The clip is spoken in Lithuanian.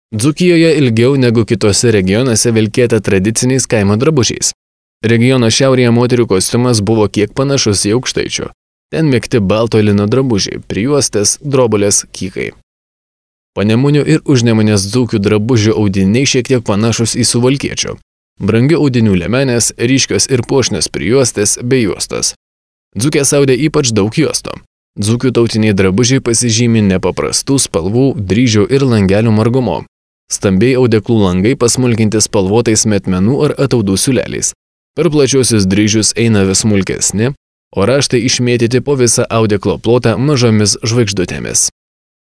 Dzūkijoje ilgiau negu kitose regionuose vilkėta tradiciniais kaimo drabužiais. Regiono šiaurėje moterių kostiumas buvo kiek panašus į aukštaičių. Ten mėgti balto lino drabužiai, prijuostės, drobulės, kykai. Panemunių ir Užnemunės dzūkių drabužių audiniai šiek tiek panašus į suvalkiečių. Brangių audinių liemenės, ryškios ir puošnios prijuostės bei juostos. Dzūkės audė ypač daug juostų. Dzūkių tautiniai drabužiai pasižymi nepaprastų spalvų, dryžių ir langelių margumu. Stambiai audeklų langai pasmulkinti spalvotais metmenų ar ataudų siūleliais. Per plačiosius dryžius eina vis smulkesni, o raštai išmėtyti po visą audeklo plotą mažomis žvaigždutėmis.